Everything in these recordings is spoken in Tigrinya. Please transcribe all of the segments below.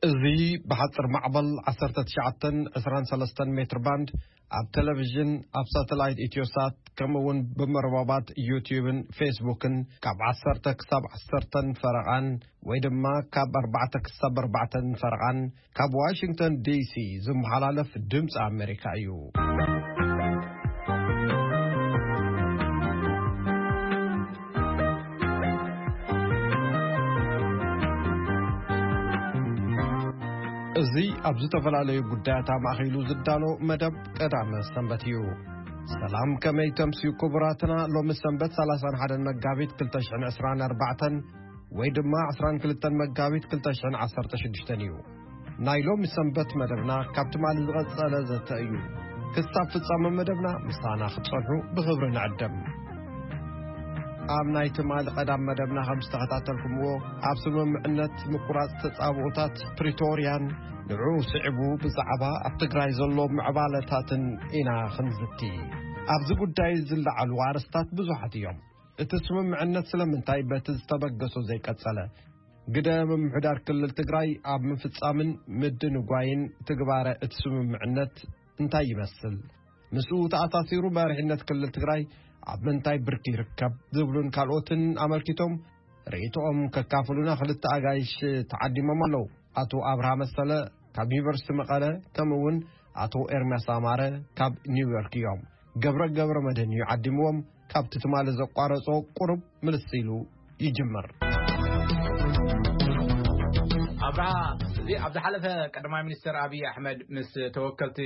እዚ ብሓጽር ማዕበል ዓሰርተ ትሽዓተ ዕስራን ሰለስተን ሜትር ባንድ ኣብ ቴሌቪዥን፣ ኣብ ሳተላይት ኢትዮሳት፣ ከምኡ እውን ብመርበባት ዩቲዩብን ፌስቡክን ካብ ዓሰርተ ክሳብ ዓሰርተን ፈረቓን ወይ ድማ ካብ ኣርባዕተ ክሳብ ኣርባዕተን ፈረቓን ካብ ዋሽንግተን ዲሲ ዝመሓላለፍ ድምፂ ኣሜሪካ እዩ። እዚ ኣብ ዝተፈላለዩ ጉዳያት ኣማእኪሉ ዝዳሎ መደብ ቀዳመ ሰንበት እዩ። ሰላም፣ ከመይ ተምስዩ ክቡራትና? ሎሚ ሰንበት ሰላሳን ሓደን መጋቢት ክልተ ሽሕን ዕስራን ኣርባዕተን ወይ ድማ ዕስራን ክልተን መጋቢት ክልተ ሽሕን ዓሰርተ ሽዱሽተን እዩ። ናይ ሎሚ ሰንበት መደብና ካብ ትማሊ ዝቐጸለ ዘተ እዩ። ክሳብ ፍጻመ መደብና ምሳና ክትጸንሑ ብኽብሪ ንዕድም። ኣብ ናይ ትማሊ ቀዳም መደብና ከም ዝተኸታተልኩምዎ፣ ኣብ ስምምዕነት ምቁራጽ ተጻብኦታት ፕሪቶርያን ንዕኡ ስዒቡ ብዛዕባ ኣብ ትግራይ ዘሎ ምዕባለታትን ኢና ክንዝቲ። ኣብዚ ጉዳይ ዝለዓሉ ኣርእስታት ብዙሓት እዮም። እቲ ስምምዕነት ስለምንታይ በቲ ዝተበገሶ ዘይቀጸለ? ግደ ምምሕዳር ክልል ትግራይ ኣብ ምፍጻምን ምድንጓይን ትግባረ እቲ ስምምዕነት እንታይ ይመስል? ምስኡ ተኣሳሲሩ መሪሕነት ክልል ትግራይ ኣብ ምንታይ ብርኪ ይርከብ ዝብሉን ካልኦትን ኣመልኪቶም ርእይቶኦም ከካፍሉና ክልተ ኣጋይሽ ተዓዲሞም ኣለዉ። ኣቶ ኣብርሃ መሰለ ካብ ዩኒቨርሲቲ መቐለ፣ ከምኡ እውን ኣቶ ኤርምያስ ኣማረ ካብ ኒውዮርክ እዮም። ገብረ ገብረ መድህን እዩ ዓዲምዎም። ካብቲ ትማሊ ዘቋረጾ ቁሩብ ምልስ ኢሉ ይጅምር። ኣብርሃ፣ እዚ ኣብ ዝሓለፈ ቀዳማይ ሚኒስትር ኣብይ ኣሕመድ ምስ ተወከልቲ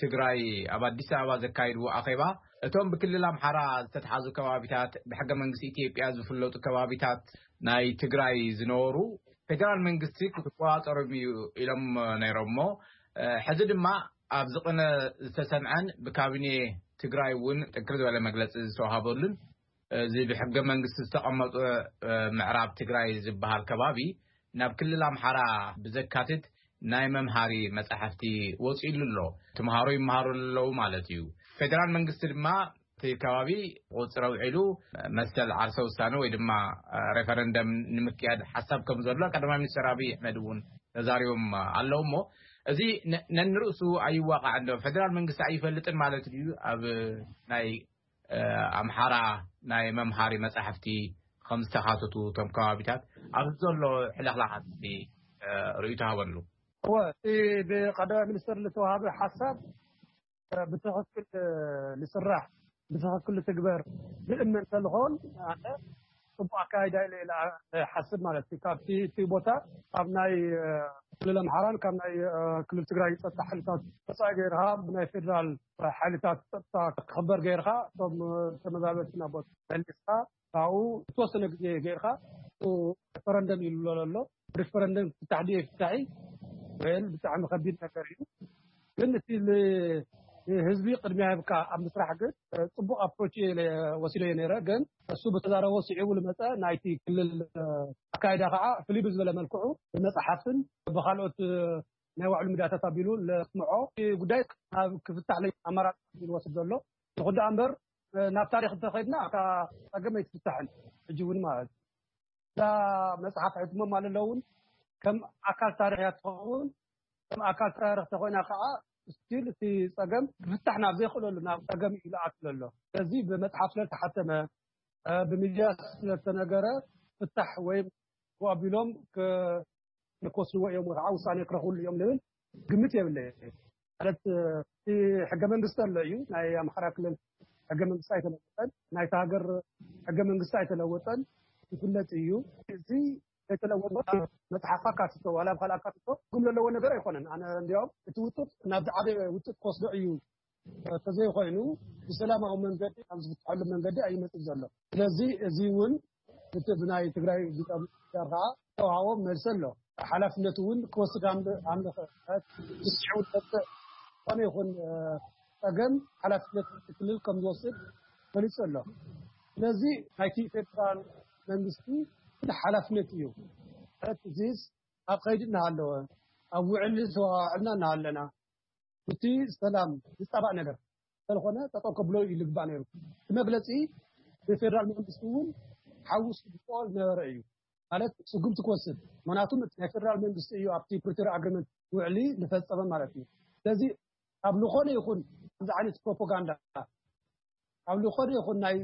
ትግራይ ኣብ ኣዲስ ኣበባ ዘካይድዎ ኣኼባ፣ እቶም ብክልል ኣምሓራ ዝተትሓዙ ከባቢታት፣ ብሕገ መንግስቲ ኢትዮጵያ ዝፍለጡ ከባቢታት ናይ ትግራይ ዝነበሩ፣ ፌደራል መንግስቲ ክቆጻጸሮም እዩ ኢሎም ነይሮም እሞ፣ ሕዚ ድማ ኣብ ዝቕነ ዝተሰምዐን ብካቢኔ ትግራይ እውን ጥንክር ዝበለ መግለጺ ዝተዋሃበሉን፣ እዚ ብሕገ መንግስቲ ዝተቐመጠ ምዕራብ ትግራይ ዝበሃል ከባቢ ናብ ክልል ኣምሓራ ብዘካትት ናይ መምሃሪ መጻሕፍቲ ወጺእሉ ኣሎ። ተምሃሮ ይመሃሩ ኣለዉ ማለት እዩ። ፌደራል መንግስቲ ድማ እቲ ከባቢ ቁጽሪ ኣውዒሉ መሰል ዓርሰ ውሳነ ወይ ድማ ሬፈረንደም ንምክያድ ሓሳብ ከም ዘሎ ቀዳማይ ሚኒስትር ኣብይ ኣሕመድ እውን ተዛሪቦም ኣለዉ እሞ፣ እዚ ነ-፣ ነንርእሱ ኣይዋቃዕን ዶ? ፌደራል መንግስቲ ኣይፈልጥን ማለት ድዩ? ኣብ ናይ፣ እ፣ ኣምሓራ ናይ መምሃሪ መጻሕፍቲ ከም ዝተኻተቱ እቶም ከባቢታት ኣብዚ ዘሎ ሕልኽላኻት፣ እ፣ ርእይቶ ሃበሉ። እወ፣ እቲ ብቀዳማይ ሚኒስትር ዝተዋሃበ ሓሳብ፣ እ፣ ብትኽክል፣ እ፣ ዝስራሕ፣ ብትኽክል ዝትግበር ዝእመን እንተዝኸውን፣ ኣነ ጽቡቕ ኣካይዳ ኢለ ኢለ እሓስብ ማለት እዩ። ካብቲ እቲ ቦታ ኣብ ናይ፣ እ፣ ክልል ኣምሓራን ካብ ናይ፣ እ፣ ክልል ትግራይ ጸጥታ ሓይልታት ወጻኢ ገይርካ ብናይ ፌደራል ሓይልታት ጸጥታ ክኽበር ገይርካ እቶም፣ እ፣ ተመዛበልቲ ናብ ቦታ መሊስካ ካብኡ ዝተወሰነ ግዜ ገይርካ ሪፈረንደም ኢሉ ኣሎ። ሪፈረንደም ፍታሕ ድዩ ፍታሒ? ወይል ብጣዕሚ ከቢድ ነገር እዩ። ግን እቲ ል-፣ ህዝቢ ቅድሚያ ሂብካ ኣብ ምስራሕ ግን፣ እ፣ ጽቡቕ ኣፕሮች እየ ኢለ ወሲደዮ ነይረ። ግን እሱ ብተዛረቦ ስዒቡ ዝመጸ ናይቲ ክልል፣ እ፣ ኣካይዳ ከዓ ፍልይ ብዝበለ መልክዑ ብመጽሓፍን ብኻልኦት፣ እ፣ ናይ ባዕሉ ሚድያታት ኣቢሉ ለስምዖ እቲ ጉዳይ ናብ ክፍታሕ ለይ ኣማራጺ ዝወስድ ዘሎ። ይኹን ደኣ እምበር፣ እ፣ ናብ ታሪኽ እንተኸድና እታ ጸገም ኣይትፍታሕን። ሕጂ እውን ማለት እዩ። እዛ መጽሓፍ ሕትሞም ኣለውን ከም ኣካል ታሪኽ እያ ትኸውን። ከም ኣካል ታሪኽ ተኾይና ከዓ ስቲል እቲ ጸገም ክፍታሕ ናብ ዘይኽእለሉ ናብ ጸገም እዩ ዝኣትለሎ። ስለዚ ብመጽሓፍ ስለ ዝተሓተመ፣ እ፣ ብሚድያ ስለ ዝተነገረ ፍታሕ ወይም ኣቢሎም ክ-፣ ክወስድዎ እዮም ወይ ከዓ ውሳኔ ክረኽብሉ እዮም ዝብል ግምት የብለይ። ማለት፣ እቲ ሕገ መንግስቲ ኣሎ እዩ። ናይ ኣምሓራ ክልል ሕገ መንግስቲ ኣይተለወጠን። ናይታ ሃገር ሕገ መንግስቲ ኣይተለወጠን፣ ይፍለጥ እዩ። እዚ ዘይተለወጠ መጽሓፍ ኣካትቶ፣ ዋላ ኣብ ካልእ ኣካትቶ ትርጉም ዘለዎ ነገር ኣይኮነን። ኣነ እንዲያውም እቲ ውጥጥ ናብ ዝዓበየ ውጥጥ ክወስዶ እዩ ተዘይኮይኑ ብሰላማዊ መንገዲ ኣብ ዝፍትሐሉ መንገዲ ኣይመጽእ ዘሎ። ስለዚ እዚ እውን እቲ ብናይ ትግራይ ሊቀ ምምሕዳር ከዓ ዝተውሃቦ መልሲ ኣሎ። ሓላፍነቱ እውን ክወስድ ኣምል-፣ ኣምልኸ። ብስዒቡ ዝመጽእ ዝኾነ ይኹን፣ እ፣ ጸገም ሓላፍነት እቲ ክልል ከም ዝወስድ ገሊጹ ኣሎ። ስለዚ ናይቲ ፌደራል መንግስቲ ሓላፍነት እዩ። ማለት እዚስ ኣብ ኸይዲ እናሃለወ፣ ኣብ ውዕሊ ዝተዋዕልና እናሃለና፣ እቲ ሰላም ዝጻባእ ነገር እንተልኾነ ጠጠው ከብሎ እዩ ልግባእ ነይሩ። እቲ መግለጺ ብፌደራል መንግስቲ እውን ሓዊሱ ዝግብኦ ዝነበረ እዩ። ማለት ስጉምቲ ክወስድ። ምክንያቱም እቲ ናይ ፌደራል መንግስቲ እዩ ኣብቲ ፕሪቶሪያ ኣግሪመንት ውዕሊ ዝፈጸመ ማለት እዩ። ስለዚ ኣብ ዝኾነ ይኹን እዚ ዓይነት ፕሮፓጋንዳ፣ ኣብ ዝኾነ ይኹን ናይ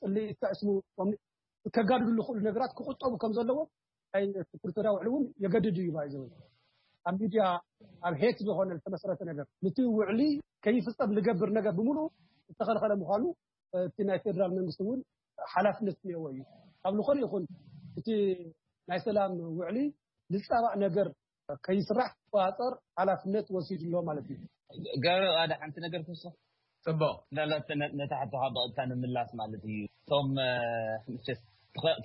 ጽልኢ ተዕስሙ ከጋድዱ ዝኽእሉ ነገራት ክቁጠቡ ከም ዘለዎ ናይ ፕሪቶሪያ ውዕሊ እውን የገድድ እዩ ባይዘው። ኣብ ሚድያ ኣብ ሄት ዝኾነ ዝተመሰረተ ነገር፣ ነቲ ውዕሊ ከይፍጸም ዝገብር ነገር ብምሉእ ዝተኸልኸለ ምዃኑ እቲ ናይ ፌደራል መንግስቲ እውን ሓላፍነት እኒአዎ እዩ። ኣብ ዝኾነ ይኹን እቲ ናይ ሰላም ውዕሊ ዝጻባእ ነገር ከይስራሕ ክቆጻጸር ሓላፍነት ወሲዱ ኣሎ ማለት እዩ። ገብረ፣ ሓደ ሓንቲ ነገር ክውስኽ። ጽቡቕ። እንዳላት ነታ ሕቶኻ ብቐጥታ ንምላስ ማለት እዩ። እቶም እቲ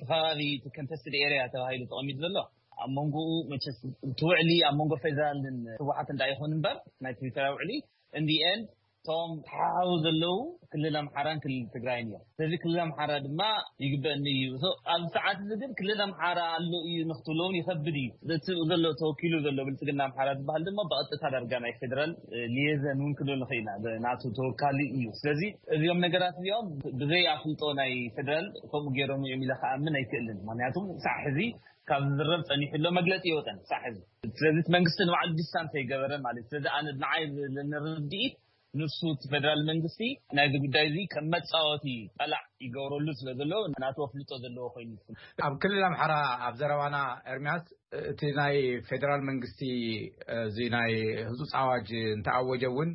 ከባቢ፣ እቲ ኮንተስትድ ኤርያ ተባሂሉ ተቐሚጡ ዘሎ፣ ኣብ መንጎኡ መቸስ እቲ ውዕሊ ኣብ መንጎ ፌደራልን ህወሓት እንዳ ይኹን እምበር፣ ናይ ፕሪቶርያ ውዕሊ እንዲ ኤንድ እቶም ተሓሓቡ ዘለዉ ክልል ኣምሓራን ክልል ትግራይን እዮም። ስለዚ ክልል ኣምሓራ ድማ ይግበእኒ እዩ። ኣብዚ ሰዓት እዚ ግን ክልል ኣምሓራ ኣሎ እዩ ንክትብሎ እውን ይኸብድ እዩ። እቲ ዘሎ ተወኪሉ ዘሎ ብልፅግና ኣምሓራ ዝበሃል ድማ ብቐጥታ ዳርጋ ናይ ፌደራል ሊየዘን እውን ክንብል ንኽእል ኢና። ናቱ ተወካሊ እዩ። ስለዚ እዚኦም ነገራት እዚኦም ብዘይ ኣፍልጦ ናይ ፌደራል ከምኡ ገይሮም እዮም ኢለ ክኣምን ኣይክእልን። ምክንያቱም ሳዕ ሕዚ ካብ ዝዝረብ ፀኒሑ ኣሎ፣ መግለፂ የወፀን ሳዕ ሕዚ። ስለዚ እቲ መንግስቲ ንባዕሉ ዲስታንስ ኣይገበረን ማለት እዩ። ስለዚ ኣነ ንዓይ ዘለኒ ርድኢት ንሱ እቲ ፌደራል መንግስቲ ናይዚ ጉዳይ እዚ ከም መፃወቲ ጠላዕ ይገብረሉ ስለ ዘሎ ናቱ ኣፍልጦ ዘለዎ ኮይኑ። ኣብ ክልል ኣምሓራ ኣብ ዘረባና ኤርሚያስ እቲ ናይ ፌደራል መንግስቲ እዚ ናይ ህፁፅ ኣዋጅ እንተኣወጀ እውን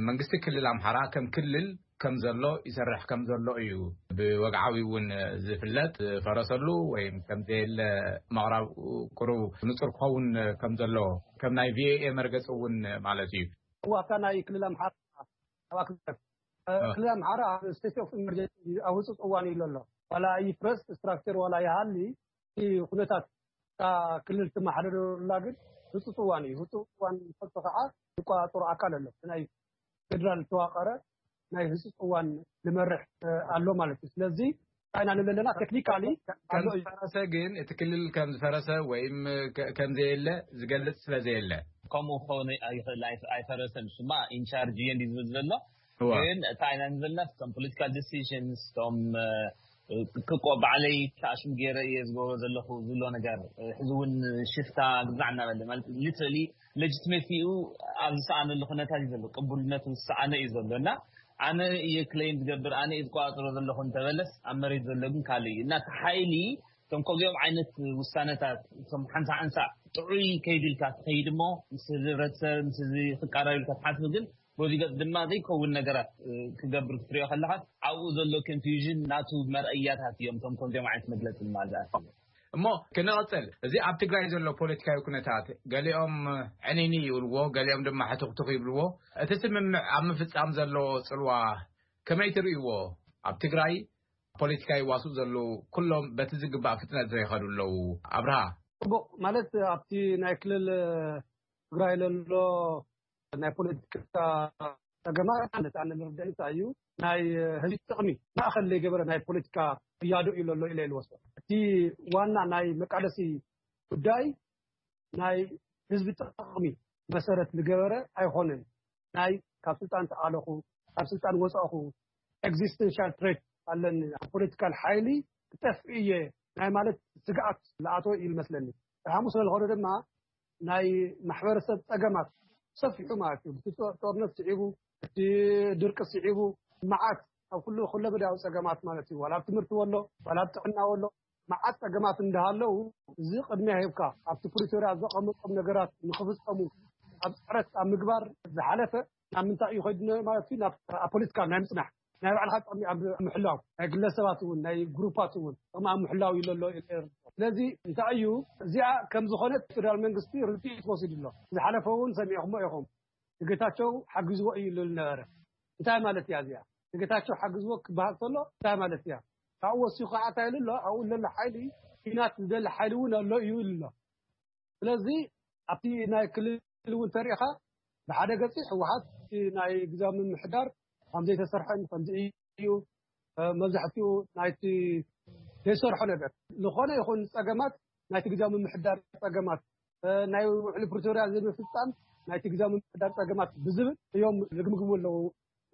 መንግስቲ ክልል ኣምሓራ ከም ክልል ከም ዘሎ ይሰርሕ ከም ዘሎ እዩ ብወግዓዊ እውን ዝፍለጥ። ዝፈረሰሉ ወይም ከም ዘየለ ምቕራብ ቁሩብ ንፁር ክኸውን ከም ዘሎ ከም ናይ ቪኦኤ መርገፂ እውን ማለት እዩ። ዋካ ናይ ክልል ኣምሓራ ኣባክበት ክልል ኣምሓራ ኣብ ስቴት ኦፍ ኢመርጀንሲ ኣብ ህፁፅ እዋን እዩ ኣሎ። ዋላ ይፍረስ ስትራክቸር ዋላ ይሃሊ እቲ ኩነታት እታ ክልል ትመሓደረላ ግን ህፁፅ እዋን እዩ። ህፁፅ እዋን ፈልጦ ከዓ ዝቆፃፀሩ ኣካል ኣሎ። ናይ ፌደራል ዝተዋቀረ ናይ ህፁፅ እዋን ዝመርሕ ኣሎ ማለት እዩ። ስለዚ ቻይና ንለለና ቴክኒካሊ ኣሎ እዩ። ፈረሰ ግን እቲ ክልል ከም ዝፈረሰ ወይም ከም ዘየለ ዝገልፅ ስለ ዘየለ ከምኡ ክኸውን ኣይኽእል። ኣይፈረሰን። እሱማ ኢንቻርጅ እየ እንዲ ዝብል ዘሎ ግን ቻይና ንለለና ከም ፖለቲካል ዲሲሽንስ ቶም ክቆ ባዕለይ ተኣሽም ገይረ እየ ዝገብሮ ዘለኹ ዝብሎ ነገር ሕዚ እውን ሽፍታ ግዛዕ እናበለ ማለት ሊትራሊ ሌጅትሜሲኡ ኣብ ዝሰኣነሉ ኩነታት እዩ ዘሎ። ቅቡልነቱ ዝሰኣነ እዩ ዘሎ እና ኣነ እየ ክሌም ዝገብር ኣነ እየ ዝቆፃፀሮ ዘለኹ እንተበለስ ኣብ መሬት ዘሎ ግን ካልእ እዩ እና እቲ ሓይሊ እቶም ከምዚኦም ዓይነት ውሳነታት እቶም ሓንሳ ሓንሳ ጥዑይ ከይድ ኢልካ ትኸይድ እሞ ምስ ህብረተሰብ ምስ ክቃረብ ኢልካ ትሓስብ ግን በዚ ገፅ ድማ ዘይከውን ነገራት ክገብር ክትሪኦ ከለካ ኣብኡ ዘሎ ኮንፊውዥን ናቱ መርኣያታት እዮም እቶም ከምዚኦም ዓይነት መግለፂ ማለት እሞ ክንቕፅል እዚ ኣብ ትግራይ ዘሎ ፖለቲካዊ ኩነታት ገሊኦም ዕኒኒ ይብልዎ፣ ገሊኦም ድማ ሕትኽትኽ ይብልዎ። እቲ ስምምዕ ኣብ ምፍፃም ዘሎ ፅልዋ ከመይ ትርእይዎ? ኣብ ትግራይ ፖለቲካ ይዋስኡ ዘለዉ ኩሎም በቲ ዝግባእ ፍጥነት ዘይኸዱ ኣለዉ። ኣብርሃ። ጽቡቕ። ማለት ኣብቲ ናይ ክልል ትግራይ ዘሎ ናይ ፖለቲካ ጸገማት ማለት ኣነ ዝርዳእ እንታይ እዩ ናይ ህዝቢ ጥቕሚ ማእኸል ዘይገበረ ናይ ፖለቲካ ቅያዶ እዩ ዘሎ ኢለ ይልወስዶ። እቲ ዋና ናይ መቃለሲ ጉዳይ ናይ ህዝቢ ጥቕሚ መሰረት ዝገበረ ኣይኾነን። ናይ ካብ ስልጣን ተኣለኹ፣ ካብ ስልጣን ወፃእኹ፣ ኤግዚስተንሻል ትሬት ኣለኒ፣ ኣብ ፖለቲካል ሓይሊ ክጠፍእ እየ ናይ ማለት ስግኣት ዝኣተወ እዩ ዝመስለኒ። ሓሙስ ስለዝኾነ ድማ ናይ ማሕበረሰብ ፀገማት ሰፊሑ ማለት እዩ። እቲ ጦርነት ስዒቡ፣ እቲ ድርቂ ስዒቡ፣ መዓት ኣብ ኩሉ ኩለመዳያዊ ፀገማት ማለት እዩ። ዋላ ኣብ ትምህርቲ ወሎ፣ ዋላ ኣብ ጥዕና ወሎ፣ መዓት ፀገማት እንዳሃለው እዚ ቅድሚያ ሂብካ ኣብቲ ፕሪቶርያ ዘቐመጦም ነገራት ንክፍፀሙ ኣብ ፅዕረት ኣብ ምግባር ዝሓለፈ ናብ ምንታይ እዩ ከይዱ ማለት እዩ ናብ ኣብ ፖለቲካ ናይ ምፅናሕ ናይ ባዕልካ ጥቕሚ ኣብ ምሕላው ናይ ግለሰባት እውን ናይ ግሩፓት እውን ጥቕሚ ኣብ ምሕላው እዩ ዘሎ። ስለዚ እንታይ እዩ እዚኣ ከም ዝኾነት ፌደራል መንግስቲ ርድኢት ወሲዱ ኣሎ። ዝሓለፈ እውን ሰሚዕኹሞ ኢኹም። ንጌታቸው ሓጊዝዎ እዩ ዝብል ነበረ። እንታይ ማለት እያ እዚኣ? ንጌታቸው ሓጊዝዎ ክበሃል ከሎ እንታይ ማለት እያ? ካብኡ ወሲኹ ከዓ እንታይ ኢሉ ኣሎ? ኣብኡ ዘሎ ሓይሊ ኲናት ዝደሊ ሓይሊ እውን ኣሎ እዩ ኢሉ ኣሎ። ስለዚ ኣብቲ ናይ ክልል እውን ተሪእኻ ብሓደ ገፂ ህወሓት ናይ ግዛዊ ምምሕዳር ከምዘይተሰርሐን ከምዚ እዩ መብዛሕትኡ ናይቲ ዘይሰርሖ ነገር ዝኾነ ይኹን ፀገማት ናይቲ ግዛዊ ምምሕዳር ፀገማት ናይ ውዕሊ ፕሪቶርያ ዘይምፍፃም ናይቲ ግዛዊ ምምሕዳር ፀገማት ብዝብል እዮም ዝግምግሙ ኣለዉ።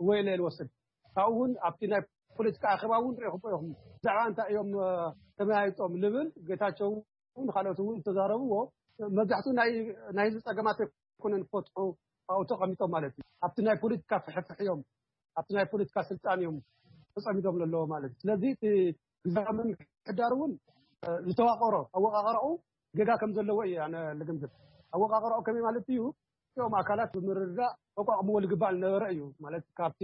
ወይ ኢለ ዝወስድ ካብኡ እውን ኣብቲ ናይ ፖለቲካ ኣኼባ እውን ሪኢኹሞ ኢኹም ብዛዕባ እንታይ እዮም ተመያይጦም ልብል ጌታቸው ንካልኦት እውን ዝተዛረብዎ መብዛሕትኡ ናይ ናይ ህዝቢ ፀገማት ኣይኮነን ክፈትሑ ኣብኡ ተቐሚጦም ማለት እዩ። ኣብቲ ናይ ፖለቲካ ፍሕፍሕ እዮም፣ ኣብቲ ናይ ፖለቲካ ስልጣን እዮም ተፀሚዶም ዘለዎ ማለት እዩ። ስለዚ እቲ ግዛምን ሕዳር እውን ዝተዋቀሮ ኣወቃቀራኡ ገጋ ከም ዘለዎ እዩ ኣነ ልግምግም። ኣወቃቀራኡ ከመይ ማለት እዩ? እቲኦም ኣካላት ብምርዳእ ተቋቁምዎ ዝግባእ ዝነበረ እዩ ማለት ካብቲ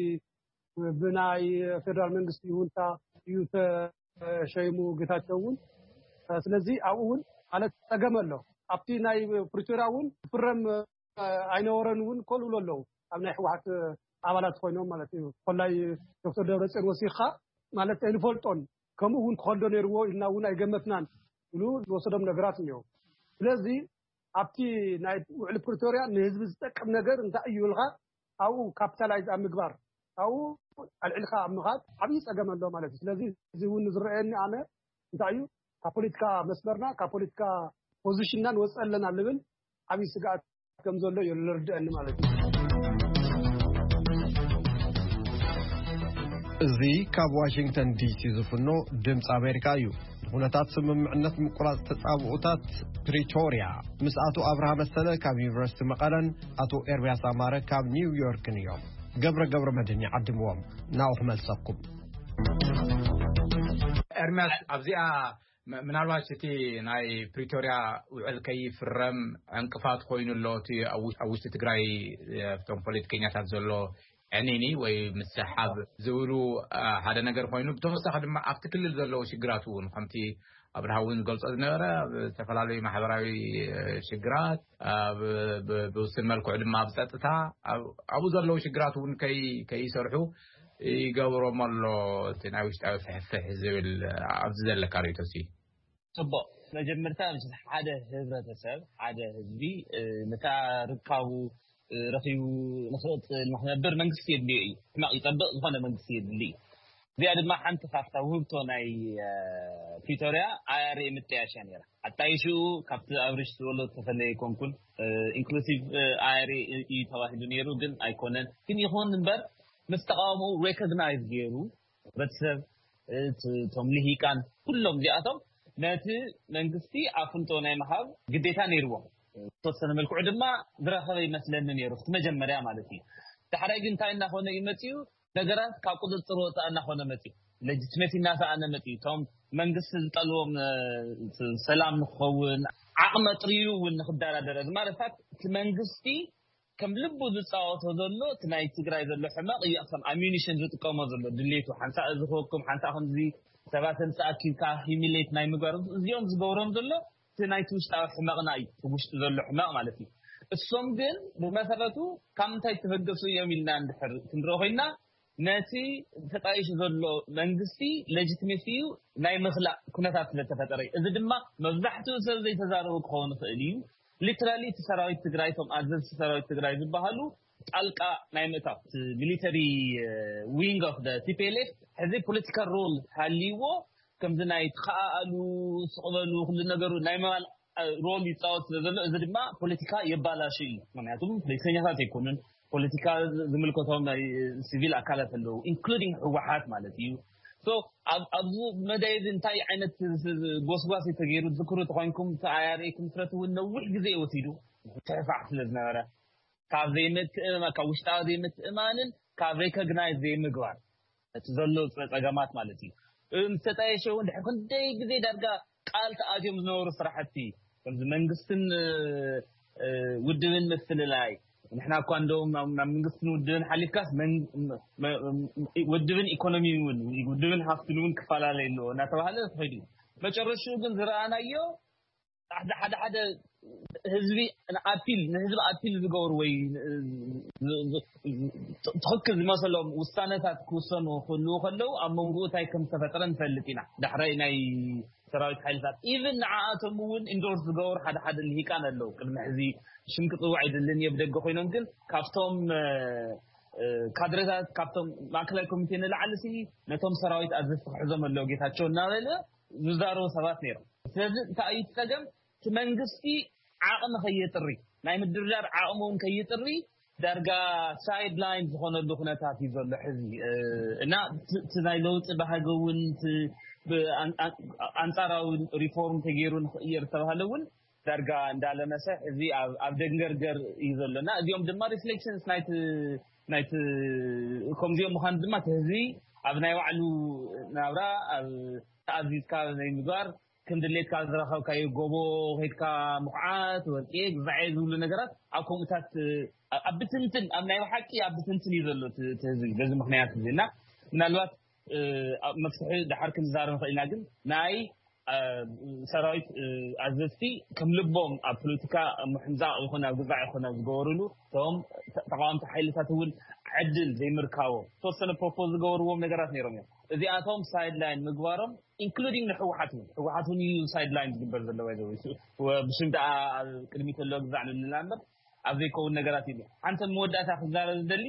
ብናይ ፌደራል መንግስቲ ይሁንታ እዩ ተሸይሙ ጌታቸው እውን። ስለዚህ ኣብኡ እውን ማለት ፀገም ኣሎ። ኣብቲ ናይ ፕሪቶሪያ እውን ክፍረም ኣይነበረን እውን ከልእሉ ኣለዉ። ኣብ ናይ ህወሓት ኣባላት ኮይኖም ማለት እዩ። ኮላይ ዶክተር ደብረፅዮን ወሲኻ ማለት ኣይንፈልጦን፣ ከምኡ እውን ክኸልዶ ነይርዎ ኢልና እውን ኣይገመትናን ኢሉ ዝወሰዶም ነገራት እኒኦ። ስለዚ ኣብቲ ናይ ውዕሊ ፕሪቶሪያ ንህዝቢ ዝጠቅም ነገር እንታይ እዩ ኢልካ ኣብኡ ካፒታላይዝ ኣብ ምግባር ኣብኡ ኣልዕልካ ኣብ ምኻድ ዓብዪ ፀገም ኣሎ ማለት እዩ። ስለዚ እዚ እውን ዝረአየኒ ኣነ እንታይ እዩ ካብ ፖለቲካ መስመርና ካብ ፖለቲካ ፖዚሽንና ንወፅእ ኣለና ልብል ዓብዪ ስግኣት ከም ዘሎ እዩ ዝርድአኒ ማለት እዩ። እዚ ካብ ዋሽንግተን ዲሲ ዝፍኖ ድምፂ ኣሜሪካ እዩ። ንኩነታት ስምምዕነት ምቁራፅ ተፃብኦታት ፕሪቶርያ ምስ ኣቶ ኣብርሃ መሰለ ካብ ዩኒቨርሲቲ መቐለን ኣቶ ኤርሚያስ ኣማረ ካብ ኒውዮርክን እዮም። ገብረ ገብረ መድህን ይዓድምዎም። ናብኡ ክመልሰኩም። ኤርሚያስ ኣብዚኣ ምናልባት እቲ ናይ ፕሪቶርያ ውዕል ከይፍረም ዕንቅፋት ኮይኑ ኣሎ እቲ ኣብ ውሽጢ ትግራይ ኣብቶም ፖለቲከኛታት ዘሎ ዕኒኒ ወይ ምስሓብ ዝብሉ ሓደ ነገር ኮይኑ፣ ብተወሳኺ ድማ ኣብቲ ክልል ዘለዉ ሽግራት እውን ከምቲ ኣብርሃ እውን ዝገልጾ ዝነበረ ኣብ ዝተፈላለዩ ማሕበራዊ ሽግራት፣ ብውስን መልክዑ ድማ ኣብ ጸጥታ ኣብኡ ዘለዉ ሽግራት እውን ከይሰርሑ ይገብሮም ኣሎ እቲ ናይ ውሽጣዊ ፍሕፍሕ ዝብል ኣብዚ ዘለካ ርእይቶ ሲ? ጽቡቕ። መጀመርታ ሓደ ህብረተሰብ ሓደ ህዝቢ ነታ ርካቡ ረኺቡ ንኽቕጽል ንኽነብር መንግስቲ የድልዮ እዩ። ሕማቕ ይጸብቕ ዝኾነ መንግስቲ የድሊ እዩ። እዚኣ ድማ ሓንቲ ካብታ ውህብቶ ናይ ፕሪቶርያ ኣይ ኣር ኤ ምጥያሽ እያ ነይራ። ኣጣይሽኡ ካብቲ ኣብርሽ ዝበሎ ዝተፈለየ ኣይኮንኩን። ኢንክሉሲቭ ኣይ ኣር ኤ እዩ ተባሂሉ ነይሩ፣ ግን ኣይኮነን። ግን ይኹን እምበር ምስ ተቃውሞኡ ሬኮግናይዝ ገይሩ ህብረተሰብ እቶም ልሂቃን ኩሎም እዚኣቶም ነቲ መንግስቲ ኣፍልጦ ናይ ምሃብ ግዴታ ነይርዎም። ዝተወሰነ መልክዑ ድማ ዝረኸበ ይመስለኒ ነይሩ እቲ መጀመርያ ማለት እዩ። ዳሕራይ ግን እንታይ እናኾነ እዩ መፅኡ? ነገራት ካብ ቁፅፅር ወፃእ እናኾነ መፅኡ። ሌጂትሜሲ እናሰኣነ መፅኡ። እቶም መንግስቲ ዝጠልዎም ሰላም ንክኸውን ዓቕሚ ኣጥርዩ እውን ንክደራደር እዚ ማለታት እቲ መንግስቲ ከም ልቡ ዝፃወቶ ዘሎ እቲ ናይ ትግራይ ዘሎ ሕመቕ እዩ ከም ኣሚኒሽን ዝጥቀሞ ዘሎ ድሌቱ ሓንሳእ እዚ ክወኩም ሓንሳእ ከምዚ ሰባት ምስ ኣኪብካ ሂሚሌት ናይ ምግባር እዚኦም ዝገብሮም ዘሎ እቲ ናይቲ ውሽጣዊ ሕመቕና እዩ እቲ ውሽጢ ዘሎ ሕመቕ ማለት እዩ። እሶም ግን ብመሰረቱ ካብ ምንታይ ተበገሱ እዮም ኢልና እንድሕር ክንርኢ ኮይና ነቲ ተጣይሹ ዘሎ መንግስቲ ሌጂትሜሲ እዩ ናይ ምኽላእ ኩነታት ስለተፈጠረ እዩ። እዚ ድማ መብዛሕትኡ ሰብ ዘይተዛረቡ ክኸውን ይኽእል እዩ። ሊትራሊ እቲ ሰራዊት ትግራይ እቶም ኣዘዝቲ ሰራዊት ትግራይ ዝበሃሉ ጣልቃ ናይ ምእታው ሚሊተሪ ዊንግ ኦፍ ቲፒኤልኤፍ ሕዚ ፖለቲካል ሮል ሃልይዎ ከምዚ ናይ ተኸኣኣሉ ስቕበሉ ኩሉ ነገሩ ናይ ምባል ሮል ይፃወት ስለ ዘሎ እዚ ድማ ፖለቲካ የባላሹ እዩ። ምክንያቱም ፖለቲከኛታት ኣይኮኑን ፖለቲካ ዝምልከቶም ናይ ሲቪል ኣካላት ኣለዉ ኢንክሉዲንግ ህወሓት ማለት እዩ። ኣብዚ መዳይ እዚ እንታይ ዓይነት ጎስጓስ ተገይሩ ዝክሩ ተኮይንኩም ተኣያሪ ክምስረት እውን ነዊሕ ግዜ ወሲዱ ትሕፋዕ ስለ ዝነበረ ካብ ዘይምትእማ ካብ ውሽጣዊ ዘይምትእማንን ካብ ሬኮግናይዝ ዘይምግባር እቲ ዘሎ ፀገማት ማለት እዩ። ምስ ተጣየሸ እውን ድሕሪ ክንደይ ግዜ ዳርጋ ቃል ተኣትዮም ዝነበሩ ስራሕቲ ከምዚ መንግስትን ውድብን ምፍልላይ ንሕና እኳ እንደውም ናብ መንግስትን ውድብን ሓሊፍካስ ውድብን ኢኮኖሚ እውን ውድብን ሃፍትን እውን ክፈላለይ ኣለዎ እናተባሃለ ተኸይዱ እዩ። መጨረሽኡ ግን ዝረኣናዮ ሓደ ሓደ ህዝቢ ኣፒል ንህዝቢ ኣፒል ዝገብሩ ወይ ትኽክል ዝመሰሎም ውሳነታት ክውሰኑ ክህልዉ ከለዉ ኣብ መንጎኡ እንታይ ከም ዝተፈጠረ ንፈልጥ ኢና። ዳሕራይ ናይ ሰራዊት ሓይልታት ኢቭን ንዓኣቶም እውን ኢንዶርስ ዝገብሩ ሓደ ሓደ ልሂቃን ኣለዉ። ቅድሚ ሕዚ ሽም ክፅውዕ ኣይደልን እየ ብደገ ኮይኖም ግን ካብቶም ካድረታት ካብቶም ማእከላይ ኮሚቴ ንላዕሊ ሲ ነቶም ሰራዊት ኣዘዝቲ ክሕዞም ኣለዉ ጌታቸው እናበለ ዝዛረቡ ሰባት ነይሮም። ስለዚ እንታይ እዩ እቲ ፀገም? እቲ መንግስቲ ዓቕሚ ከየጥሪ ናይ ምድርዳር ዓቕሚ እውን ከይጥሪ ዳርጋ ሳይድ ላይን ዝኾነሉ ኩነታት እዩ ዘሎ ሕዚ እና እቲ ናይ ለውጢ ባህጊ እውን እቲ ኣንፃራዊ ሪፎርም ተገይሩ ንኽእየር ዝተባሃለ እውን ዳርጋ እንዳለመሰ እዚ ኣብ ደንገርገር እዩ ዘሎና። እዚኦም ድማ ሪፍሌክሽንስ ናይቲ ናይቲ ከምዚኦም ምዃኑ ድማ እቲ ህዝቢ ኣብ ናይ ባዕሉ ናብራ ኣብ ተኣዚዝካ ናይ ምግባር ከም ድሌትካ ዝረኸብካዮ ጎቦ ከይድካ ምኹዓት ወርቂ ግዛዐ ዝብሉ ነገራት ኣብ ከምኡታት ኣብ ብትንትን ኣብ ናይ ብሓቂ ኣብ ብትንትን እዩ ዘሎ እቲ ህዝቢ በዚ ምክንያት እዚ እና ምናልባት መፍትሒ ድሓር ክንዛረብ ንኽእል ኢና ግን ናይ ሰራዊት ኣዘዝቲ ከም ልቦም ኣብ ፖለቲካ ምሕምዛቕ ይኹን ኣብ ግዛዕ ይኹን ኣብ ዝገበሩሉ እቶም ተቃወምቲ ሓይልታት እውን ዕድል ዘይምርካቦም ተወሰነ ፕሮፖዝ ዝገበርዎም ነገራት ነይሮም እዮም። እዚኣቶም ሳይድላይን ምግባሮም ኢንክሉዲንግ ንሕወሓት እውን ህወሓት እውን እዩ ሳይድላይን ዝግበር ዘሎ ብሽም ደኣ ቅድሚ ተሎ ግዛዕ ንልና እምበር ኣብ ዘይከውን ነገራት እዩ። ሓንቲ መወዳእታ ክዛረብ ዝደሊ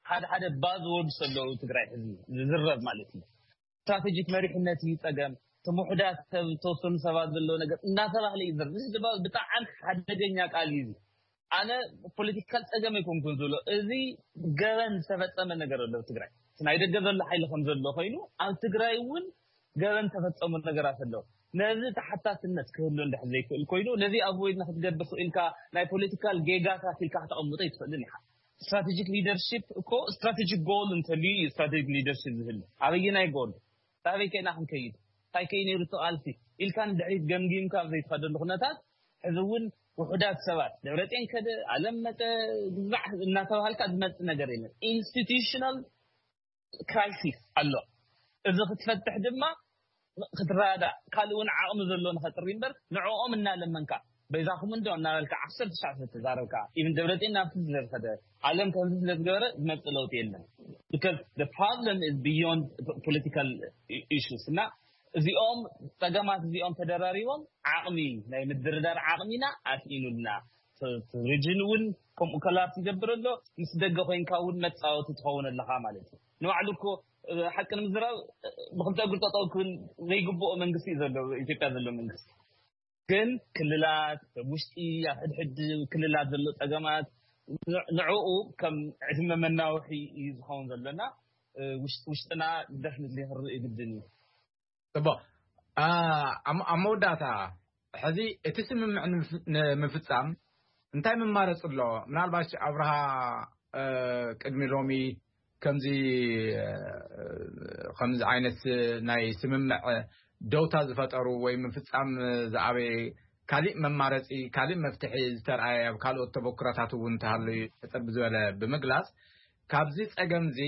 ሓደ ሓደ ባዝ ወርድስ ኣለዉ ትግራይ ሕዚ ዝዝረብ ማለት እዩ። ስትራቴጂክ መሪሕነት እዩ ፀገም፣ እቲ ውሑዳት ሰብ ዝተወሰኑ ሰባት ዘለዎ ነገር እናተባህለ እዩ ዝዝረብ። እዚ ድማ ብጣዕሚ ሓደገኛ ቃል እዩ። ኣነ ፖለቲካል ፀገም ኣይኮንኩን ዝብሎ፣ እዚ ገበን ዝተፈፀመ ነገር ኣሎ ኣብ ትግራይ። እቲ ናይ ደገ ዘሎ ሓይሊ ከም ዘሎ ኮይኑ ኣብ ትግራይ እውን ገበን ተፈፀሙ ነገራት ኣለዉ። ነዚ ተሓታትነት ክህሉ እንድሕር ዘይክእል ኮይኑ ነዚ ኣቮይድ ንክትገብር ክእልካ ናይ ፖለቲካል ጌጋታት ኢልካ ከተቐምጦ ኣይትኽእልን ኢኻ። ስትራቴጂክ ሊደርሺፕ እኮ ስትራቴጂክ ጎል እንተልዩ እዩ ስትራቴጂክ ሊደርሺፕ ዝህሉ። ኣበየናይ ጎል ኣበይ ከይና ክንከይድ እንታይ ከይ ነይሩ እቲ ቃልሲ ኢልካ ንድሕሪት ገምጊምካ ኣብ ዘይትኸደሉ ኩነታት ሕዚ እውን ውሑዳት ሰባት ደብረፅዮን ከደ ኣለም መፀ ግዛዕ እናተባሃልካ ዝመፅእ ነገር የለን። ኢንስቲቱሽናል ክራይሲስ ኣሎ። እዚ ክትፈትሕ ድማ ክትረዳእ ካልእ እውን ዓቕሚ ዘሎ ንኸጥሪ እምበር ንዕኦም እናለመንካ በይዛኹም እንዶ እናበልካ ዓሰርተ ትሽዓተ ተዛረብካ ኢቭን ደብረፅዮን ናብቲ ስለዝኸደ ዓለም ከምዚ ስለዝገበረ ዝመፅእ ለውጢ የለን። Because the problem is beyond political issues እና እዚኦም ፀገማት እዚኦም ተደራሪቦም ዓቕሚ ናይ ምድርዳር ዓቕሚና ኣስኢኑልና። ሪጅን እውን ከምኡ ኮላፕስ ይገብር ኣሎ። ምስ ደገ ኮይንካ እውን መፃወቲ ትኸውን ኣለኻ ማለት እዩ። ንባዕሉ እኮ ሓቂ ንምዝራብ ብክልተ እግሩ ጠጠው ክብል ዘይግብኦ መንግስቲ እዩ ዘሎ ኢትዮጵያ ዘሎ መንግስቲ። ግን ክልላት ውሽጢ ኣብ ሕድሕድ ክልላት ዘሎ ፀገማት ንዕኡ ከም ዕድመ መናውሒ እዩ ዝኸውን ዘሎና። ውሽጥና ደፍንት ክርኢ ግድን እዩ። ፅቡቅ። ኣብ መወዳእታ ሕዚ እቲ ስምምዕ ንምፍፃም እንታይ መማረፂ ኣሎ? ምናልባት ኣብርሃ ቅድሚ ሎሚ ከምዚ ከምዚ ዓይነት ናይ ስምምዕ ደውታ ዝፈጠሩ ወይ ምፍፃም ዝኣበየ ካሊእ መማረፂ ካሊእ መፍትሒ ዝተረኣየ ኣብ ካልኦት ተበክሮታት እውን እንተሃለዩ ሕፅር ብዝበለ ብምግላፅ ካብዚ ፀገም እዚ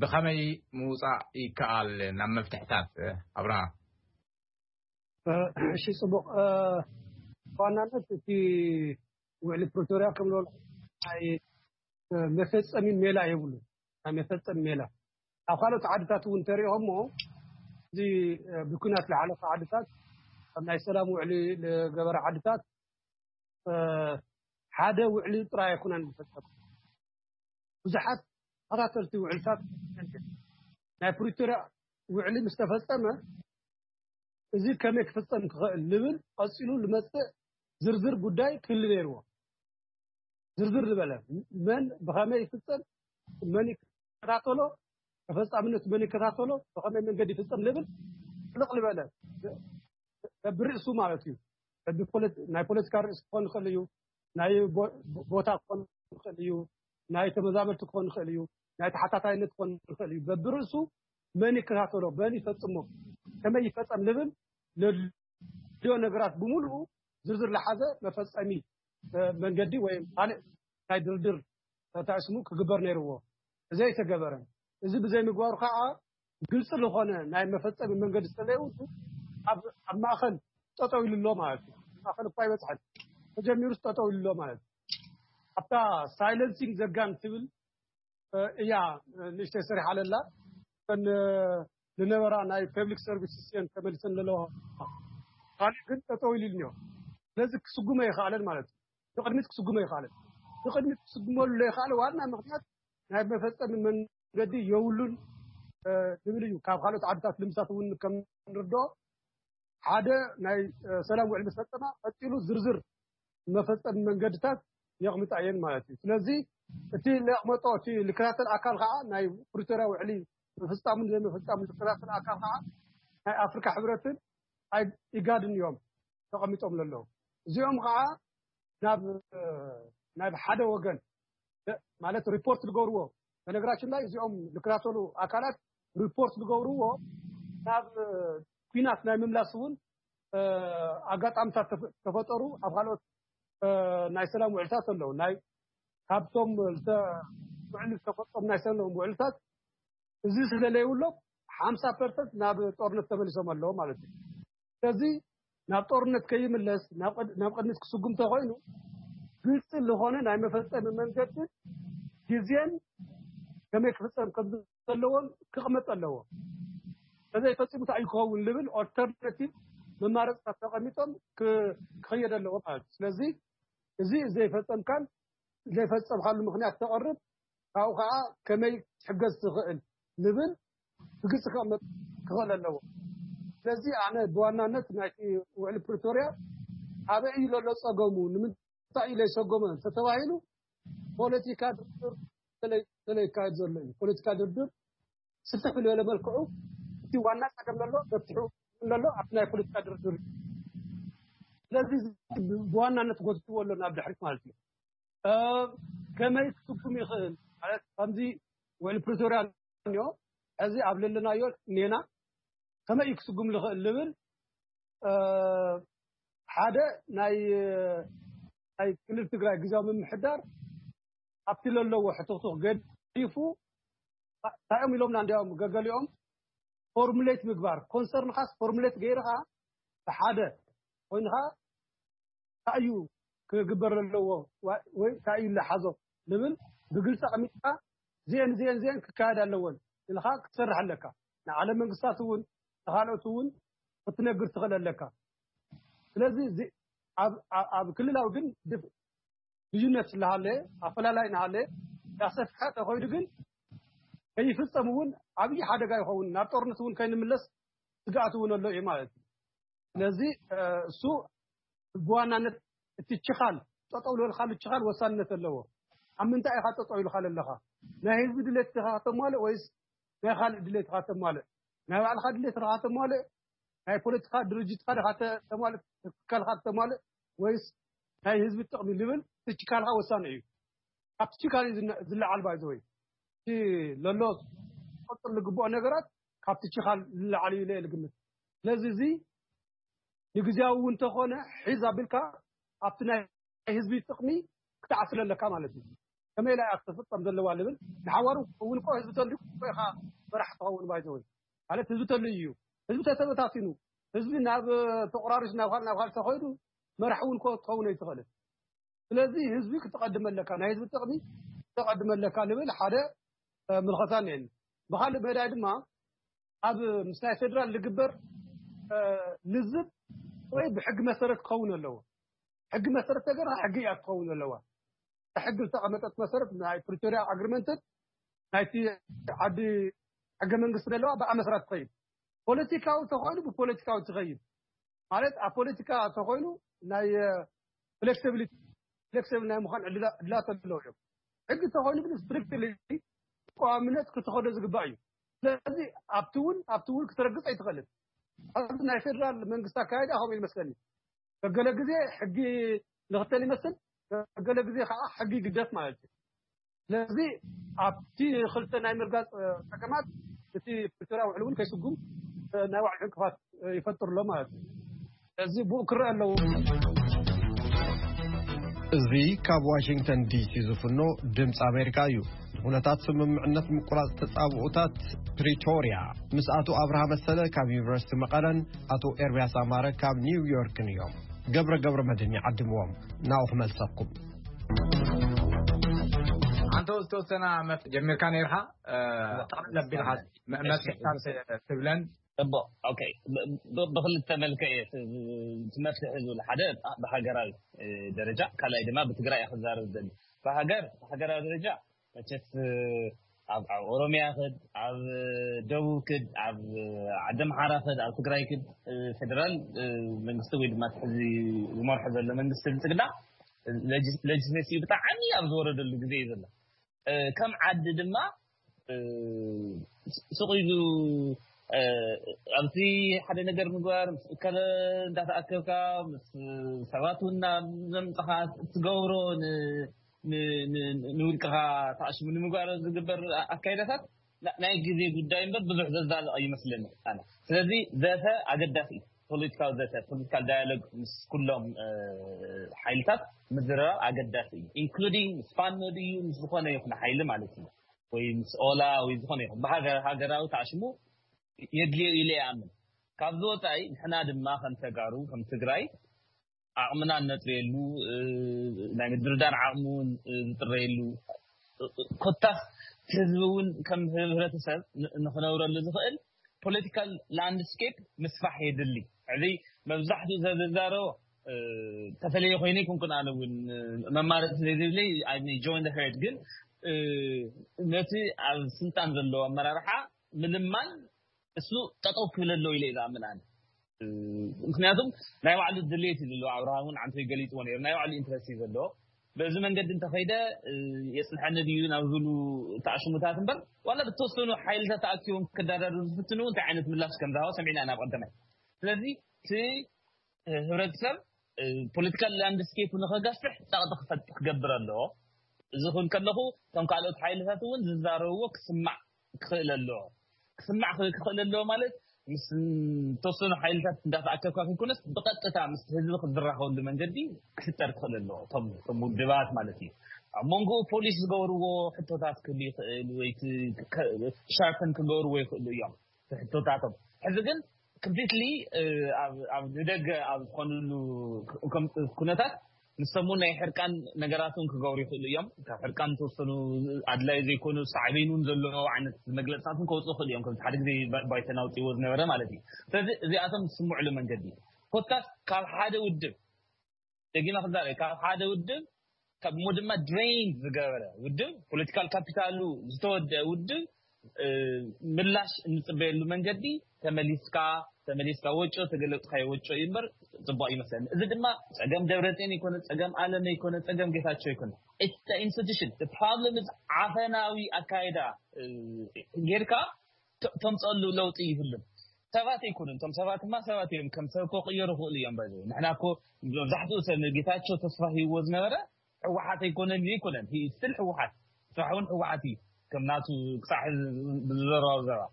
ብኸመይ ምውፃእ ይከኣል ናብ መፍትሕታት ኣብርሃ? እሺ ፅቡቅ። ብዋናነት እቲ ውዕሊ ፕሪቶርያ ከም ዝበልኩ ናይ መፈፀሚ ሜላ የብሉ። ናይ መፈፀሚ ሜላ ኣብ ካልኦት ዓድታት እውን ተሪኦሞ እዚ ብኩናት ዝሓለፈ ዓድታት ኣብ ናይ ሰላም ውዕሊ ዝገበረ ዓድታት ሓደ ውዕሊ ጥራይ ኣይኮነን ዝፈፀሙ። ብዙሓት ተኸታተልቲ ውዕልታት ናይ ፕሪቶርያ ውዕሊ ምስ ተፈፀመ እዚ ከመይ ክፍፀም ክኽእል ዝብል ቀፂሉ ዝመፅእ ዝርዝር ጉዳይ ክህሉ ነይርዎ። ዝርዝር ዝበለ መን ብኸመይ ይፍፀም፣ መን ይከታተሎ፣ ተፈፃምነት መን ይከታተሎ፣ ብኸመይ መንገዲ ይፍፀም ዝብል ጥልቕ ዝበለ በብርእሱ ማለት እዩ። ናይ ፖለቲካ ርእሲ ክኾን ይኽእል እዩ፣ ናይ ቦታ ክኾን ይኽእል እዩ፣ ናይ ተመዛበልቲ ክኾን ይኽእል እዩ፣ ናይ ተሓታታይነት ክኾን ይኽእል እዩ። በብርእሱ መን ይከታተሎ፣ መን ይፈፅሞ፣ ከመይ ይፈፀም ዝብል ለድልዮ ነገራት ብምሉኡ ዝርዝር ዝሓዘ መፈፀሚ መንገዲ ወይ ካልእ ናይ ድርድር ተታእስሙ ክግበር ነይርዎ። እዚ ኣይተገበረን። እዚ ብዘይምግባሩ ከዓ ግልፂ ዝኾነ ናይ መፈፀሚ መንገዲ ስለዘይብሉ ኣብ ማእኸል ጠጠው ኢሉ ኣሎ ማለት እዩ። ማእኸል እኳ ኣይበፅሐን፣ ተጀሚሩስ ጠጠው ኢሉ ኣሎ ማለት እዩ። ኣብታ ሳይለንሲንግ ዘጋን ትብል እያ ንእሽተይ ሰሪሓ ኣለላ። እተን ዝነበራ ናይ ፐብሊክ ሰርቪስስ እየን ተመሊሰን ዘለዋ። ካልእ ግን ጠጠው ኢሉ እኒኦ። ስለዚ ክስጉመ ኣይኸኣለን ማለት እዩ። ንቕድሚት ክስጉመ ኣይኸኣለን። ንቕድሚት ክስጉመሉ ዘይኸኣለ ዋና ምኽንያት ናይ መፈፀሚ መንገዲ የብሉን ዝብል እዩ። ካብ ካልኦት ዓድታት ልምሳት እውን ከም ንርድኦ ሓደ ናይ ሰላም ውዕል ምስ ፈፀማ ቀፂሉ ዝርዝር መፈፀሚ መንገድታት የቕምጣ እየን ማለት እዩ። ስለዚ እቲ ለቕመጦ እቲ ልከታተል ኣካል ከዓ ናይ ፕሪቶርያ ውዕሊ ምፍፃሙን ዘይምፍፃሙን ልከታተል ኣካል ከዓ ናይ ኣፍሪካ ሕብረትን ናይ ኢጋድን እዮም ተቐሚጦም ዘለዉ። እዚኦም ከዓ ናብ ናብ ሓደ ወገን ማለት ሪፖርት ዝገብርዎ፣ በነገራችን ላይ እዚኦም ዝከታተሉ ኣካላት ሪፖርት ዝገብርዎ ናብ ኲናት ናይ ምምላስ እውን ኣጋጣሚታት ተፈጠሩ። ኣብ ካልኦት ናይ ሰላም ውዕልታት ኣለዉ። ናይ ካብቶም ውዕል ዝተፈፀሙ ናይ ሰላም ውዕልታት እዚ ስለለይብሎም ሓምሳ ፐርሰንት ናብ ጦርነት ተመሊሶም ኣለዉ ማለት እዩ። ስለዚ ናብ ጦርነት ከይምለስ ናብ ቅድሚት ክስጉም ተኮይኑ ግልፂ ዝኾነ ናይ መፈፀሚ መንገዲ ግዜን ከመይ ክፍፀም ከም ዘለዎን ክቕመጥ ኣለዎ። ተዘይፈፂሙ እንታይ ክኸውን ልብል ኦልተርናቲቭ መማረፅታት ተቐሚጦም ክኸየድ ኣለዎ ማለት እዩ። ስለዚ እዚ ዘይፈፀምካን ዘይፈፀምካሉ ምክንያት ተቐርብ ካብኡ ከዓ ከመይ ትሕገዝ ትኽእል ልብል ብግልፂ ክቕመጥ ክኽእል ኣለዎ። ስለዚ ኣነ ብዋናነት ናይቲ ውዕሊ ፕሪቶርያ ኣበይ እዩ ዘሎ ፀገሙ፣ ንምንታይ እዩ ዘይሰጎመ ተተባሂሉ ፖለቲካ ድርድር ስለይካየድ ዘሎ እዩ። ፖለቲካ ድርድር ስፍሕ ብዝበለ መልክዑ እቲ ዋና ፀገም ዘሎ መፍትሑ ዘሎ ኣብቲ ናይ ፖለቲካ ድርድር እዩ። ስለዚ ብዋናነት ጎትትዎ ኣሎ ናብ ድሕሪት ማለት እዩ። ከመይ ክስጉም ይኽእል ማለት ከምዚ ውዕሊ ፕሪቶርያ እኒኦ፣ እዚ ኣብ ለለናዮ እኒና ከመይ እዩ ክስጉም ዝኽእል ዝብል ሓደ ናይ ናይ ክልል ትግራይ ግዜያዊ ምምሕዳር ኣብቲ ለለዎ ሕትኽትኽ ገዲፉ እንታይ እዮም ኢሎምና እንዲያውም ገገሊኦም ፎርሙሌት ምግባር ኮንሰርንኻስ ፎርሙሌት ገይርኻ ብሓደ ኮይንኻ እንታይ እዩ ክግበር ዘለዎ ወይ እንታይ እዩ ዝሓዞ ዝብል ብግልፂ ኣቐሚጥካ እዚአን እዚአን እዚአን ክካየድ ኣለወን ኢልካ ክትሰርሕ ኣለካ። ንዓለም መንግስታት እውን ንካልኦት እውን ክትነግር ትኽእል ኣለካ። ስለዚ ኣብ ክልላዊ ግን ልዩነት እናሃለ ኣፈላላይ እናሃለ ያሰፍሐ ተኮይዱ ግን ከይፍፀም እውን ዓብዪ ሓደጋ ይኸውን። ናብ ጦርነት እውን ከይንምለስ ስግኣት እውን ኣሎ እዩ ማለት እዩ። ስለዚ እሱ ብዋናነት እቲ ችኻል ጠጠው ዝበልካሉ ችኻል ወሳንነት ኣለዎ። ኣብ ምንታይ ኢኻ ጠጠው ኢልካ ዘለኻ? ናይ ህዝቢ ድሌት ኢኻ ከተማልእ ወይስ ናይ ካልእ ድሌት ኢኻ ተማልእ? ናይ ባዕልኻ ድሌት ኢኻ ተማልእ? ናይ ፖለቲካ ድርጅትካ ዲኻ ተማልእ? ትካልካ ተማልእ ወይስ ናይ ህዝቢ ጥቕሚ ዝብል እቲ ችካልካ ወሳኒ እዩ። ኣብቲ ችካል እዩ ዝለዓል ባይዘ ወይ እቲ ለሎ ቀፅል ዝግብኦ ነገራት ካብቲ ችካል ዝለዓል እዩ ኢለ ዝግምት። ስለዚ እዚ ንግዜያዊ እውን እንተኾነ ሒዝ ኣቢልካ ኣብቲ ናይ ህዝቢ ጥቕሚ ክትዓስለ ኣለካ ማለት እዩ። ከመይ ኢላ እያ ክትፍፀም ዘለዋ ልብል ንሓዋሩ እውን እኮ ህዝቢ ተልዩ እኮ ኢኻ መራሕ ትኸውን ባይዘ ወይ ማለት ህዝቢ ተልዩ እዩ። ህዝቢ ተተበታቲኑ ህዝቢ ናብ ተቆራሪሱ ናብ ካልእ ናብ ካልእ ተኸይዱ መራሕ እውን እኮ ትኸውን ኣይትኽእልን። ስለዚ ህዝቢ ክትቐድም ኣለካ፣ ናይ ህዝቢ ጥቕሚ ክትቐድም ኣለካ ልብል ሓደ ምልኸታ እኒአኒ። ብካልእ መዳይ ድማ ኣብ ምስ ናይ ፌደራል ዝግበር ልዝብ ወይ ብሕጊ መሰረት ክኸውን ኣለዎ። ሕጊ መሰረት ተገርካ ሕጊ እያ ክትኸውን ዘለዋ። ሕጊ ዝተቐመጠት መሰረት ናይ ፕሪቶሪያ ኣግሪመንትን ናይቲ ዓዲ ሕገ መንግስቲ ዘለዋ ብኣ መሰረት ትኸይድ። ፖለቲካዊ ተኮይኑ ብፖለቲካዊ ትኸይድ ማለት ኣብ ፖለቲካ ተኮይኑ ናይ ፍሌክሲቢሊቲ ፍሌክሲብል ናይ ምዃን ዕድላት ኣለዎ እዮም። ሕጊ ተኮይኑ ግን ስትሪክትሊ ብቀዋምነት ክትኸዶ ዝግባእ እዩ። ስለዚ ኣብቲ እውን ኣብቲ እውን ክትረግፅ ኣይትኽእልን። ኣብዚ ናይ ፌደራል መንግስቲ ኣካይዳ ከምኡ ይመስለኒ። ገለ ግዜ ሕጊ ንኽተል ይመስል፣ ገለ ግዜ ከዓ ሕጊ ይግደፍ ማለት እዩ። ስለዚ ኣብቲ ክልተ ናይ ምርጋፅ ፀገማት እቲ ፕሪቶርያ ውዕል እውን ከይስጉም ናይ ባዕሉ ዕንቅፋት ይፈጥር ኣሎ ማለት እዩ። ስለዚ ብኡ ክረአ ኣለዎ። እዚ ካብ ዋሽንግተን ዲሲ ዝፍኖ ድምፂ ኣሜሪካ እዩ። ንኩነታት ስምምዕነት ምቁራፅ ተፃብኦታት ፕሪቶርያ ምስ ኣቶ ኣብርሃ መሰለ ካብ ዩኒቨርሲቲ መቐለን ኣቶ ኤርሚያስ ኣማረ ካብ ኒውዮርክን እዮም። ገብረ ገብረ መድህን ይዓድምዎም። ናብኡ ክመልሰኩም። ኣንተ ዝተወሰና ጀሚርካ ነርካ ጠቕለል ኣቢልካ መፍትሕታት ትብለን። ጽቡቕ። ኦኬ፣ ብክልተ መልክዕ እየ እቲ መፍትሒ ዝብል ሓደ ብሃገራዊ ደረጃ፣ ካልኣይ ድማ ብትግራይ እየ ክዛረብ ዝደሊ። ብሃገር ብሃገራዊ ደረጃ መቸስ ኣብ ኣብ ኦሮሚያ ክድ ኣብ ደቡብ ክድ ኣብ ዓዲ ኣምሓራ ክድ ኣብ ትግራይ ክድ ፌደራል መንግስቲ ወይ ድማ ሕዚ ዝመርሖ ዘሎ መንግስቲ ብልፅግና ሌጅስሌሽን ብጣዕሚ ኣብ ዝወረደሉ ግዜ እዩ ዘሎ። ከም ዓዲ ድማ ስቕ ኢሉ ኣብዚ ሓደ ነገር ምግባር ምስ እከለ እንዳተኣከብካ ምስ ሰባት እውን ናብ ዘምፅኻ እትገብሮ ንውልቅኻ ተኣሽሙ ንምግባር ዝግበር ኣካይዳታት ናይ ግዜ ጉዳይ እምበር ብዙሕ ዘዛልቕ ኣይመስለኒ ኣነ። ስለዚ ዘተ ኣገዳሲ እዩ። ፖለቲካዊ ዘተ፣ ፖለቲካል ዳያሎግ ምስ ኩሎም ሓይልታት ምዝርራብ ኣገዳሲ እዩ። ኢንክሉዲንግ ምስ ፋኖ ድዩ ምስ ዝኾነ ይኹን ሓይሊ ማለት እዩ፣ ወይ ምስ ኦላ ወይ ዝኾነ ይኹን ብሃገር ሃገራዊ ተኣሽሙ የድልዮ ኢለ ይኣምን። ካብዚ ወፃኢ ንሕና ድማ ከም ተጋሩ ከም ትግራይ ዓቕምና እነጥርየሉ ናይ ምድርዳር ዓቕሚ እውን ዝጥረየሉ ኮታስ ህዝቢ እውን ከም ህብረተሰብ ንክነብረሉ ዝኽእል ፖለቲካል ላንድስኬፕ ምስፋሕ የድሊ። እዚ መብዛሕትኡ ሰብ ዝዛረቦ ተፈለየ ኮይኑ ይኩንኩን ኣነ እውን መማረፂ ዘይብለይ ጆይን ሄርድ ግን ነቲ ኣብ ስልጣን ዘለዎ ኣመራርሓ ምልማን እሱ ጠጠው ክብል ኣለዎ ኢለ ዝኣምን ኣነ። ምክንያቱም ናይ ባዕሉ ድሌት እዩ ዘለዎ። ኣብርሃም እውን ዓንቶ ገሊፅዎ ነይሩ። ናይ ባዕሉ ኢንትረስት እዩ ዘለዎ። በዚ መንገዲ እንተኸይደ የፅንሐኒ ድዩ ናብ ዝብሉ ተኣሽሙታት እምበር ዋላ ብተወሰኑ ሓይልታት ተኣኪቦም ክዳዳሩ ዝፍትኑ እንታይ ዓይነት ምላሽ ከም ዝሃቦ ሰሚዕና ኢና ብቀደማይ። ስለዚ እቲ ህብረተሰብ ፖለቲካል ላንድስኬፕ ንኸገፍሕ ፀቕጢ ክፈጥ ክገብር ኣለዎ። እዚ ክብል ከለኹ እቶም ካልኦት ሓይልታት እውን ዝዛረብዎ ክስማዕ ክኽእል ኣለዎ። ክስማዕ ክኽእል ኣለዎ ማለት ምስ ተወሰኑ ሓይልታት እንዳተኣከብካ ከይኮነስ ብቐጥታ ምስ ህዝቢ ክዝራኸበሉ መንገዲ ክፍጠር ክኽእል ኣለዎ። እቶም ውድባት ማለት እዩ። ኣብ መንጎኡ ፖሊስ ዝገብርዎ ሕቶታት ክህሉ ይኽእል ወይ ሻርፐን ክገብርዎ ይኽእሉ እዮም ሕቶታቶም። ሕዚ ግን ኮምፕሊትሊ ኣብ ንደገ ኣብ ዝኾንሉ ኩነታት ንሶም እውን ናይ ሕርቃን ነገራት እውን ክገብሩ ይኽእሉ እዮም። ካብ ሕርቃን ተወሰኑ ኣድላይ ዘይኮኑ ሳዕቤን እውን ዘለዎ ዓይነት መግለፅታት እውን ከውፅኡ ይኽእሉ እዮም። ከምዚ ሓደ ግዜ ባይተና ኣውፅእዎ ዝነበረ ማለት እዩ። ስለዚ እዚኣቶም ዝስምዕሉ መንገዲ ኮታስ ካብ ሓደ ውድብ ደጊመ ክዛረብ ካብ ሓደ ውድብ ካብ ሞ ድማ ድሬን ዝገበረ ውድብ ፖለቲካል ካፒታሉ ዝተወደአ ውድብ ምላሽ እንፅበየሉ መንገዲ ተመሊስካ ተመሊስካ ወጮ ተገለፅካዮ ወጮ እዩ እምበር ፅቡቅ ይመስለኒ። እዚ ድማ ፀገም ደብረፅዮን ይኮነ ፀገም ኣለም ይኮነ ፀገም ጌታቸው ይኮነ ኢንስቲቱሽን ፕሮብለም ዓፈናዊ ኣካይዳ ጌርካ ተምፀሉ ለውጢ ይህሉን ሰባት ኣይኮኑን። እቶም ሰባት ድማ ሰባት እዮም። ከም ሰብ እኮ ቅየሩ ክእሉ እዮም። ባይ ንሕና እኮ መብዛሕትኡ ሰብ ጌታቸው ተስፋ ሂዎ ዝነበረ ህወሓት ኣይኮነን ይኮነን ስል ህወሓት ስራሕ እውን ህወሓት እዩ። ከም ናቱ ክሳዕ ዝዘረባ ዘረባ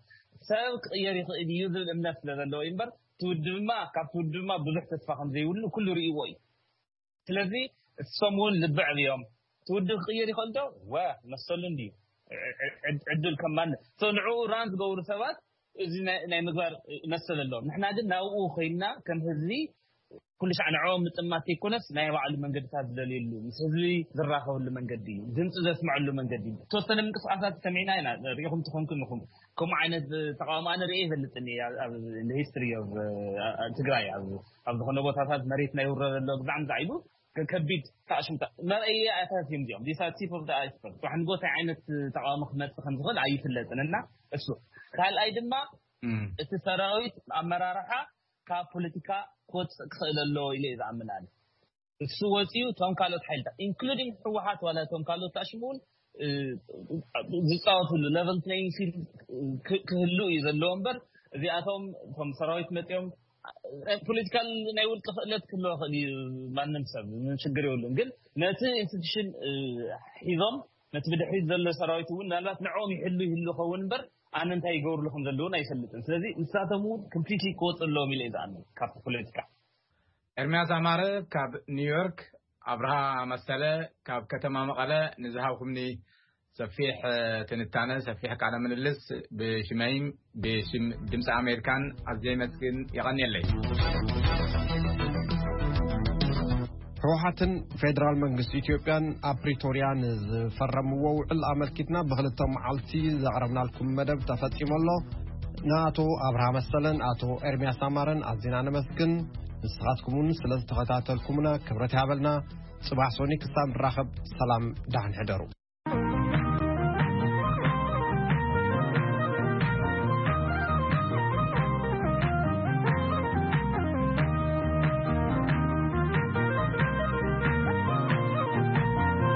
ሰብ ክቅየር ይኽእል እዩ ዝብል እምነት ስለ ዘለዎ እዩ እምበር ትውድብ ድማ ካብ ትውድብ ድማ ብዙሕ ተስፋ ከም ዘይብሉ ኩሉ ርእይዎ እዩ። ስለዚ እሶም እውን ልቢ ዕብዮም ትውድብ ክቅየር ይኽእል ዶ ወ መሰሉ እንድዩ ዕድል ከማን ንዕኡ ራን ዝገብሩ ሰባት እዚ ናይ ምግባር መሰል ኣለዎም። ንሕና ግን ናብኡ ኮይንና ከም ህዝቢ ኩሉ ሻዕ ንዕኦም ምጥማት ዘይኮነስ ናይ ባዕሉ መንገድታት ዝደልየሉ ምስ ህዝቢ ዝራኸብሉ መንገዲ እዩ፣ ድምፂ ዘስምዐሉ መንገዲ እዩ። ተወሰነ ምንቅስቃሳት ሰሚዕና ኢና ሪኢኹም ትኾንኩም ኢኹም። ከምኡ ዓይነት ተቃውሞ ኣነ ርኤ ይፈልጥኒ ኣብ ሂስትሪ ትግራይ ኣብ ዝኾነ ቦታታት መሬት ናይ ውረረ ኣሎ ብዛዕሚ ዛዕሉ ከቢድ ታእሽምታ መርኣያ ኣታት እዮም እዚኦም ዲሳቲቭ ኦፍ ኣይስበር ዋሕንጎ እንታይ ዓይነት ተቃውሞ ክመፅእ ከም ዝኽእል ኣይፍለጥን እና እሱ ካልኣይ ድማ እቲ ሰራዊት ኣመራርሓ ካብ ፖለቲካ ክወፅእ ክኽእል ኣለዎ ኢለ ዝኣምን ኣነ። እሱ ወፂኡ እቶም ካልኦት ሓይልታት ኢንክሉዲንግ ህወሓት ዋላ እቶም ካልኦት ታሽሙ እውን ዝፃወትሉ ለቨል ፕሌይንግ ፊልድ ክህሉ እዩ ዘለዎ እምበር እዚኣቶም እቶም ሰራዊት መፂኦም ፖለቲካል ናይ ውልቂ ክእለት ክህልዎ ክእል እዩ። ማንም ሰብ ምንም ሽግር የብሉን። ግን ነቲ ኢንስቲቱሽን ሒዞም ነቲ ብድሕሪት ዘሎ ሰራዊት እውን ምናልባት ንዕኦም ይሕሉ ይህሉ ኸውን እምበር ኣነ እንታይ ይገብርሉ ከም ዘለውን ኣይፈልጥን። ስለዚ ንሳቶም እውን ኮምፕሊትሊ ክወፁ ኣለዎም ኢለ እዩ ዝኣምን ካብቲ ፖለቲካ። ኤርሚያስ ኣማረ ካብ ኒውዮርክ፣ ኣብርሃ መሰለ ካብ ከተማ መቐለ ንዝሃብኩምኒ ሰፊሕ ትንታነ ሰፊሕ ቃለ ምልልስ ብሽመይን ብሽም ድምፂ ኣሜሪካን ኣዝየ ይመስግን። የቐንየለይ። ህወሓትን ፌዴራል መንግስቲ ኢትዮጵያን ኣብ ፕሪቶርያ ንዝፈረምዎ ውዕል ኣመልኪትና ብክልተ መዓልቲ ዘቕረብናልኩም መደብ ተፈፂሙ ኣሎ። ንኣቶ ኣብርሃ መሰለን ኣቶ ኤርሚያስ ኣማረን ኣዚና ነመስግን። ንስኻትኩም እውን ስለ ዝተኸታተልኩምና ክብረት ይሃበልና። ፅባሕ ሶኒ ክሳብ ንራኸብ ሰላም ዳሕን ሕደሩ።